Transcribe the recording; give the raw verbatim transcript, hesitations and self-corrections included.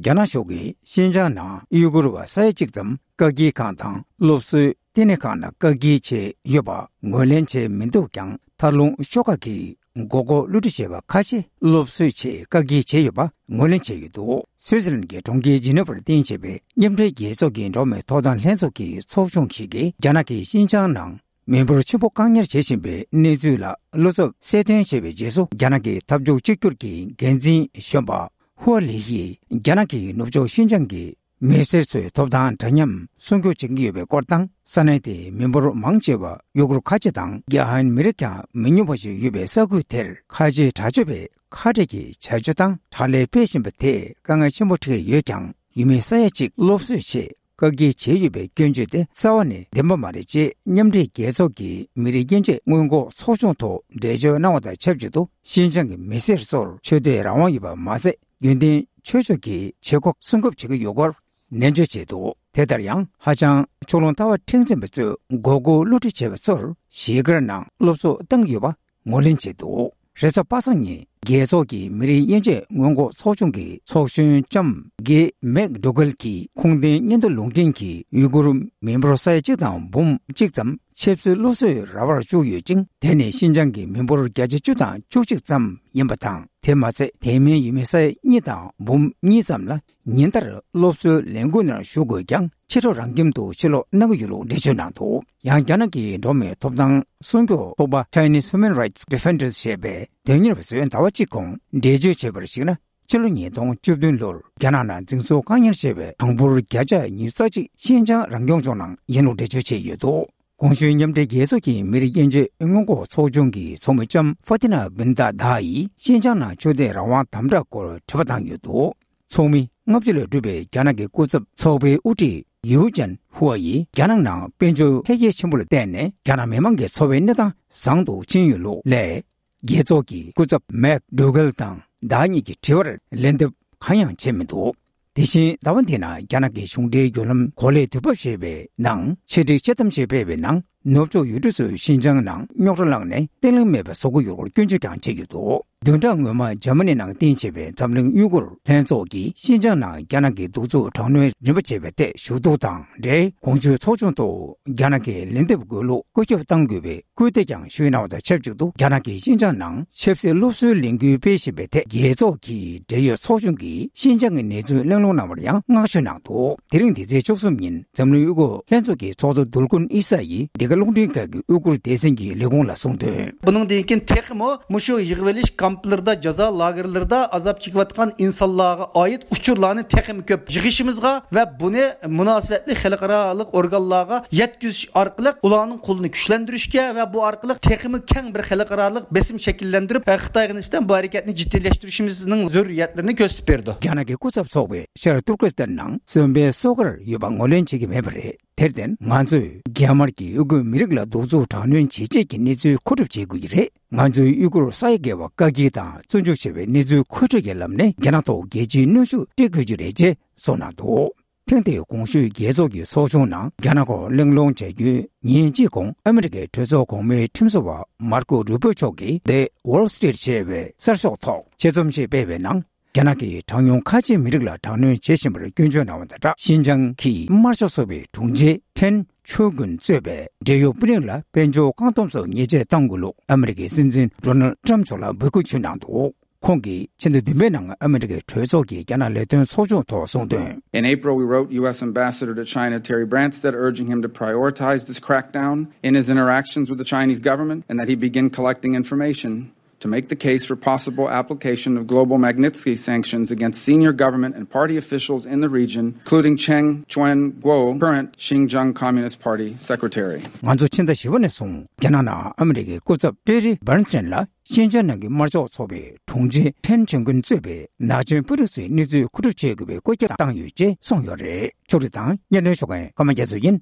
རྒྱ་ནག་གཞུང་གིས་ཤིན་ཅང་ནང་ཡུ་གུར་བ་ས་ཡ་གཅིག་ཙམ་བཀག་སྐྱིལ་ཁང་དང་སློབ་གསོའི་བསྟི་གནས་ཁང་ནང་བཀག་སྐྱིལ་བྱས་ཡོད་པ་ངོས་ལེན་བྱས་མི་འདུག་ཀྱང་། མཐར་ལུང་ཤོག་ཁག་གི་མགོ་སྐོར་བསླུ་བྲིད་བྱས་པ་ཁ་ཤས་སློབ་གསོ་ཆེད་བཀག་སྐྱིལ་བྱས་ཡོད་པ་ངོས་ལེན་བྱས་ཡོད་འདུག་སུད་སི་ལན་གྱི་གྲོང་ཁྱེར་ཇི་ནི་ཝར་རྟེན་བྱས་པའི་མཉམ་འབྲེལ་རྒྱལ་ཚོགས་ཀྱི་འགྲོ་བ་མིའི་ཐོབ་ཐང་ལྷན་ཚོགས་ཀྱི་ཚོགས་ཆུང་ཞིག་གིས། རྒྱ་ནག་གིས་ཤིན་ཅང་ནང་མི་འབོར་ཆེན་པོ་བཀག་ཉར་བྱེད་བཞིན་པའི་གནས་ཚུལ་ལ་བློ་འཚབ་གསལ་སྟོན་བྱས་པའི་རྗེས་སུ། རྒྱ་ནག་གི་འཐབ་ཕྱོགས་གཅིག་གྱུར་གྱི་འགན་འཛིན་གཞོན་པ་ཧུའ་ལི་ཡིས། རྒྱ་ནག་གིས་ནུབ་ཕྱོགས་ཤིན་ཅང་གི་མི་སེར་ཚོའི་ཐོབ་ཐང་འདྲ་མཉམ་སྲུང་སྐྱོབ་བྱེད་ཀྱི་ཡོད་པའི་སྐོར་དང་། ས་གནས་དེའི་མི་འབོར་མང་ཆེ་བ་ཡུ་གུར་ཁ་ཆེ་དང་། རྒྱ་ཧན་མི་རིགས་ཀྱང་མི་ཉུང་བ་ཞིག་ཡོད་པའི་ས་ཁུལ་དེར། ཁ་ཆེའི་དྲག་སྤྱོད་པས་ཁ་བྲལ་གྱི་བྱ་སྤྱོད་དང་། དྲག་ལས་སྤེལ་བཞིན་པ་དེས་དཀའ་ངལ་ཆེན་པོ་འཕྲད་ཀྱི་ཡོད་ཀྱང་། ཡུལ་མི་ས་ཡ་གཅིག་སློབ་གསོའི་ཆེད་བཀག་སྐྱིལ་བྱས་ཡོད་པའི་སྐྱོན་བརྗོད་དེ་རྩ་བ་ནས་བདེན་པ་མ་རེད་ཅེས། མཉམ་འབྲེལ་རྒྱལ་ཚོགས་ཀྱི་མི་རིགས་དབྱེ་འབྱེད་སྔོན་འགོག་ཚོགས་ཆུང་ཐོག་འགྲེལ་བརྗོད་གནང་བ་དང་ཆབས་ཅིག་ཏུ། ཤིན་ཅང་གི་མི་སེར་ཚོར་ཆོས་དད་རང་དབང་ཡོད་པ་མ་ཟད། རྒྱུན་ལྡན་ཆོས་ཕྱོགས་ཀྱི་བྱེད་སྒོ་སྲུང་སྐྱོབ་བྱེད་ཀྱི་ཡོད་སྐོར་ནན་བརྗོད་བྱས་འདུག་དེ་ལྟར་ཡང་། ཧ་ཅང་ཕྱོགས་ལྷུང་ལྟ་བ་མཁྲེགས་འཛིན་པ་ཚོས་མགོ་སྐོར་བསླུ་བྲིད་བྱས་པ་ཚོར་གཞིས་སྒར་ནང་སློབ་གསོ་བཏང་གི་ཡོད་པ་ངོས་ལེན་བྱས་འདུག་རེས་གཟའ་པ་སངས་ཉིན། རྒྱལ་ཚོགས་ཀྱི་མི་རིགས་དབྱེ་འབྱེད་སྔོན་འགོག་ཚོགས་ཆུང་གི་ཚོགས་གཞོན་ལྕམ་གྷེ་མེག་ཌོ་གལ་གྱིས། ཁུངས་ལྡན་སྙན་ཐོ་ལུང་འདྲེན་གྱིས། ཡུ་གུར་མི་འབོར་ས་ཡ་གཅིག་དང་འབུམ་གཅིག་ཙམ་ཆབ་སྲིད་སློབ་གསོའི་ར་བར་བཅུག་ཡོད་ཅིང་། དེ་ནི་ཤིན་ཅང་གི་མི་འབོར་བརྒྱ་ཆ་བཅུ་དང་བཅུ་གཅིག་ཙམ་ཡིན་པ་དང་། དེ་མ་ཚད། དེ་མིན་ཡུལ་མི་ས་ཡ་གཉིས་དང་འབུམ་གཉིས་ཙམ་ལ་ཉིན་ལྟར་སློབ་གསོའི་ལས་འགུལ་ནང་ཞུགས་དགོས་ཀྱང་། ཕྱི་དྲོ་རང་ཁྱིམ་དུ་ཕྱིར་ལོག་གནང་གི་ཡོད་ལུགས་འགྲེལ་བརྗོད་གནང་འདུག་ཡང་། རྒྱ་ནག་གི་འགྲོ་བ་མིའི་ཐོབ་ཐང་སྲུང་སྐྱོབ་ཚོགས་པ་Chinese Human Rights Defenders ཞེས་པས་དོན་གཉེར་བ་ཚོས་ཟླ་བ་གཅིག་གོང་འགྲེལ་བརྗོད་བྱས་པར་གཞིགས་ན། ཕྱི་ལོ་ཉིས་སྟོང་བཅུ་བདུན་ལོར་རྒྱ་ནག་ནང་འཛིན་བཟུང་བཀག་ཉར་བྱས་པའི་གྲངས་འབོར་བརྒྱ་ཆ་ཉི་ཤུ་རྩ་གཅིག་ཤིན་ཅང་རང་སྐྱོང་ལྗོངས་ནང་ཡིན་ལུགས་འགྲེལ་བརྗོད་བྱས་ཡོད་འདུག་གོང་ཞུས་མཉམ་འབྲེལ་རྒྱལ་ཚོགས་ཀྱི་མི་རིགས་དབྱེ་འབྱེད་སྔོན་འགོག་ཚོགས་ཆུང་གི་ཚོགས་མི་ལྕམ་ཧྥ་ཏི་ན་བིན་ཏཱ་དཱ་ཡིས་ཤིན་ཅང་ནང་ཆོས་དད་རང་དབང་དམ་དྲག་སྐོར་དྲི་བ་བཏང་ཡོད་འདུག་ཚོགས་མི་ལྔ་བཅུ་ལས་གྲུབ་པའི་རྒྱ་ནག་གི་སྐུ་ཚབ་ཚོགས་པའི་དབུ་ཁྲིད་ཡུའུ་ཅན་ཧུའ་ཡིས། རྒྱ་ནག་ནང་དཔལ་འབྱོར་འཕེལ་རྒྱས་ཆེན་པོ་ལ་བརྟེན་ནས་རྒྱ་ནག་མི་མང་གི་འཚོ་བའི་གནས་སྟངས་བཟང་དུ་ཕྱིན་ཡོད་ལུགས་ལས། རྒྱལ་ཚོགས་ཀྱི་སྐུ་ཚབ་མེག་ཌོ་གལ་དང་དཱ་གཉིས་ཀྱི་དྲི་བར་ལན་འདེབས་གང་ཡང་བྱས་མི་འདུག་དེ་བཞིན་ཟླ་བ་འདིའི་ནང་རྒྱ་ནག་གི་གཞུང་འབྲེལ་བརྒྱུད་ལམ་གོ་ལའི་དུས་བབ་ཞེས་པའི་ནང་ཆེད་སྒྲིག་དཔྱད་གཏམ་ཞིག་སྤེལ་བའི་ནང་། ནུབ་ཕྱོགས་ཡུལ་གྲུ་ཚོས་ཤིན་ཅང་ནང་རྙོག་དྲ་བསླངས་ནས་བརྟན་ལྷིང་མེད་པ་བཟོ་གི་ཡོད་སྐོར་སྐྱོན་བརྗོད་ཀྱང་བྱས་ཡོད་འདུག་བདུན་ཕྲག་སྔོན་མ་འཇར་མ་ནི་ནང་རྟེན་བྱས་པའི་འཛམ་གླིང་ཡུ་གུར་ལྷན་ཚོགས་ཀྱིས་ཤིན་ཅང་ནང་རྒྱ་ནག་གི་གདུག་རྩུབ་དྲག་གནོན་རིམ་པ་བྱས་པའི་ཐད་ཞུ་གཏུག་དང་འབྲེལ། གོང་ཞུས་ཚོགས་ཆུང་ཐོག་རྒྱ་ནག་གིས་ལན་འདེབས་དགོས་ལུགས་བཀོད་ཁྱབ་གཏང་དགོས་པའི་སྐུལ་འདེད་ཀྱང་ཞུས་གནང་བ་དང་ཆབས་ཅིག་ཏུ། རྒྱ་ནག་གིས་ཤིན་ཅང་ནང་ཆབ་སྲིད་སློབ་གསོའི་ལས་འགུལ་སྤེལ་བཞིན་པའི་ཐད། རྒྱལ་ཚོགས་ཀྱི་འབྲེལ་ཡོད་ཚོགས་ཆུང་གིས་ཤིན་ཅང་གི་གནས་ཚུལ་གླེང་སློང་གནང་བར་ཡང་བསྔགས་བརྗོད་གནང་འདུག་དེ་རིང་འདི་ཚེས་བཅུ་གསུམ་ཉིན་འཛམ་གླིང་ཡུ་གུར་ལྷན་ཚོགས་ཀྱི་ཚོགས་གཙོ་རྡུལ་ཀུན་ཨི་ས་ཡིས་འདི་ག་རླུང་འཕྲིན་ཁང་གི་ཡུ་གུར་སྡེ་ཚན་གྱི་ལས་ཁུངས་ལ་གསུངས་དོན། بۇنىڭدىن كېيىن تېخىمۇ مۇشۇ يىغىۋېلىش كامپلىرىدا، جازا لاگېرلىرىدا ئازاب چېكىۋاتقان ئىنسانلارغا ئائىت ئۇچۇرلارنى تېخىمۇ كۆپ يىغىشىمىزغا ۋە بۇنى مۇناسىۋەتلىك خەلقئارالىق ئورگانلارغا يەتكۈزۈش ئارقىلىق ئۇلارنىڭ قولىنى كۈچلەندۈرۈشكە ۋە بۇ ئارقىلىق تېخىمۇ كەڭ بىر خەلقئارالىق بېسىم شەكىللەندۈرۈپ، خىتايغا نىسبەتەن بۇ ھەرىكەتنى جىددىيلەشتۈرۈشىمىزنىڭ زۆرۈرىيەتلىرىنى كۆرسىتىپ بېرىدۇ. རྒྱ་ནག་གི་སྐུ་ཚབ་ཚོགས་པས་ཤར་ཏུར་ཀི་སི་ཐན་ནང་བཙོན་པའི་སོ་ཁར་ཡོད་པ་ངོས་ལེན་བྱེད་ཀྱི་མེད་པ་རེད། དེར་བརྟེན་ང་ཚོས་རྒྱ་དམར་གྱིས་ཡུ་གུར་མི་རིགས་ལ་གདུག་རྩུབ་དྲག་གནོན་བྱེད་ཆེད་ཀྱི་གནས་ཚུལ་མཁོ་སྒྲུབ་བྱེད་དགོས་ཀྱི་རེད། ང་ཚོས་ཡུ་གུར་ས་ཡ་བརྒལ་བ་བཀག་སྐྱིལ་དང་བཙོན་འཇུག་བྱས་པའི་གནས་ཚུལ་མཁོ་སྤྲོད་ཀྱི་ལམ་ནས་རྒྱ་ནག་ཐོག་རྒྱལ་སྤྱིའི་གནོན་ཤུགས་སྤྲད་དགོས་རྒྱུ་རེད་ཅེས་གསུངས་གནང་འདུག་ཐེངས་འདིའི་གོང་ཞུས་རྒྱལ་ཚོགས་ཀྱི་ཚོགས་ཆུང་ནང་རྒྱ་ནག་སྐོར་གླེང་སློང་བྱ་རྒྱུའི་ཉིན་གཅིག་གོང་ཨ་མི་རི་ཀའི་གྲོས་ཚོགས་གོང་མའི་ཁྲིམས་བཟོ་བ་མར་ཀོ་རུ་པོ་མཆོག་གིས་The Wall Street ཞེས་པའི་གསར་ཤོག་ཐོག་ཆེད་རྩོམ་ཞིག་སྤེལ་བའི་ནང་། རྒྱ་ནག་གིས་གྲངས་ཉུང་ཁ་ཆེའི་མི་རིགས་ལ་དྲག་གནོན་བྱེད་བཞིན་པར་སྐྱོན་བརྗོད་གནང་བ་དང་སྦྲགས། ཤིན་ཅང་གི་དམར་ཤོག་ཚོགས་པའི་དྲུང་ཆེ་ཁྲེན་ཆོས་ཀུན་གཙོས་པའི་འབྲེལ་ཡོད་དཔོན་རིགས་ལ་དཔལ་འབྱོར་བཀག་སྡོམ་སོགས་ཉེས་ཆད་གཏང་དགོས་ལུགས་ཨ་མི་རི་ཀའི་སྲིད་འཛིན་ཌོ་ནལ་ཊམ་མཆོག་ལ་འབོད་སྐུལ་ཞུས་གནང་འདུག་ཁོང་གིས་ཕྱི་ཟླ་བདུན་པའི་ནང་ཨ་མི་རི་ཀའི་གྲོས་ཚོགས་ཀྱི་རྒྱ་ནག་ལས་དོན་ཚོགས་ཆུང་ཐོག་གསུངས་དོན། In April, we wrote U S Ambassador to China Terry Branstad urging him to prioritize this crackdown in his interactions with the Chinese government and that he begin collecting information to make the case for possible application of global Magnitsky sanctions against senior government and party officials in the region, including Cheng Chuan-guo, current Xinjiang Communist Party secretary. ང་ཚོ་ཕྱི་ཟླ་བཞི་པ་ནས་བཟུང་རྒྱ་ནག་ནང་ཨ་མི་རི་ཀའི་སྐུ་ཚབ་ཏེ་རི་བྷར་ནས་ཊན་ལ་ཤིན་ཅང་ནང་གི་དམར་ཤོག་ཚོགས་པའི་དྲུང་ཆེ་ཁྲེན་ཆོན་ཀུན་གཙོས་པའི་ནག་ཅན་དཔོན་རིགས་ཚོའི་གནས་ཚུལ་མཁོ་སྒྲུབ་བྱེད་དགོས་པའི་བཀོད་ཁྱབ་བཏང་ཡོད་ཅེས་གསུངས་ཡོད་རེད། ཕྱོགས་སྒྲིག་དང་སྙན་སྒྲོན་ཞུ་མཁན་ཀརྨ་རྒྱ་མཚོ་ཡིན།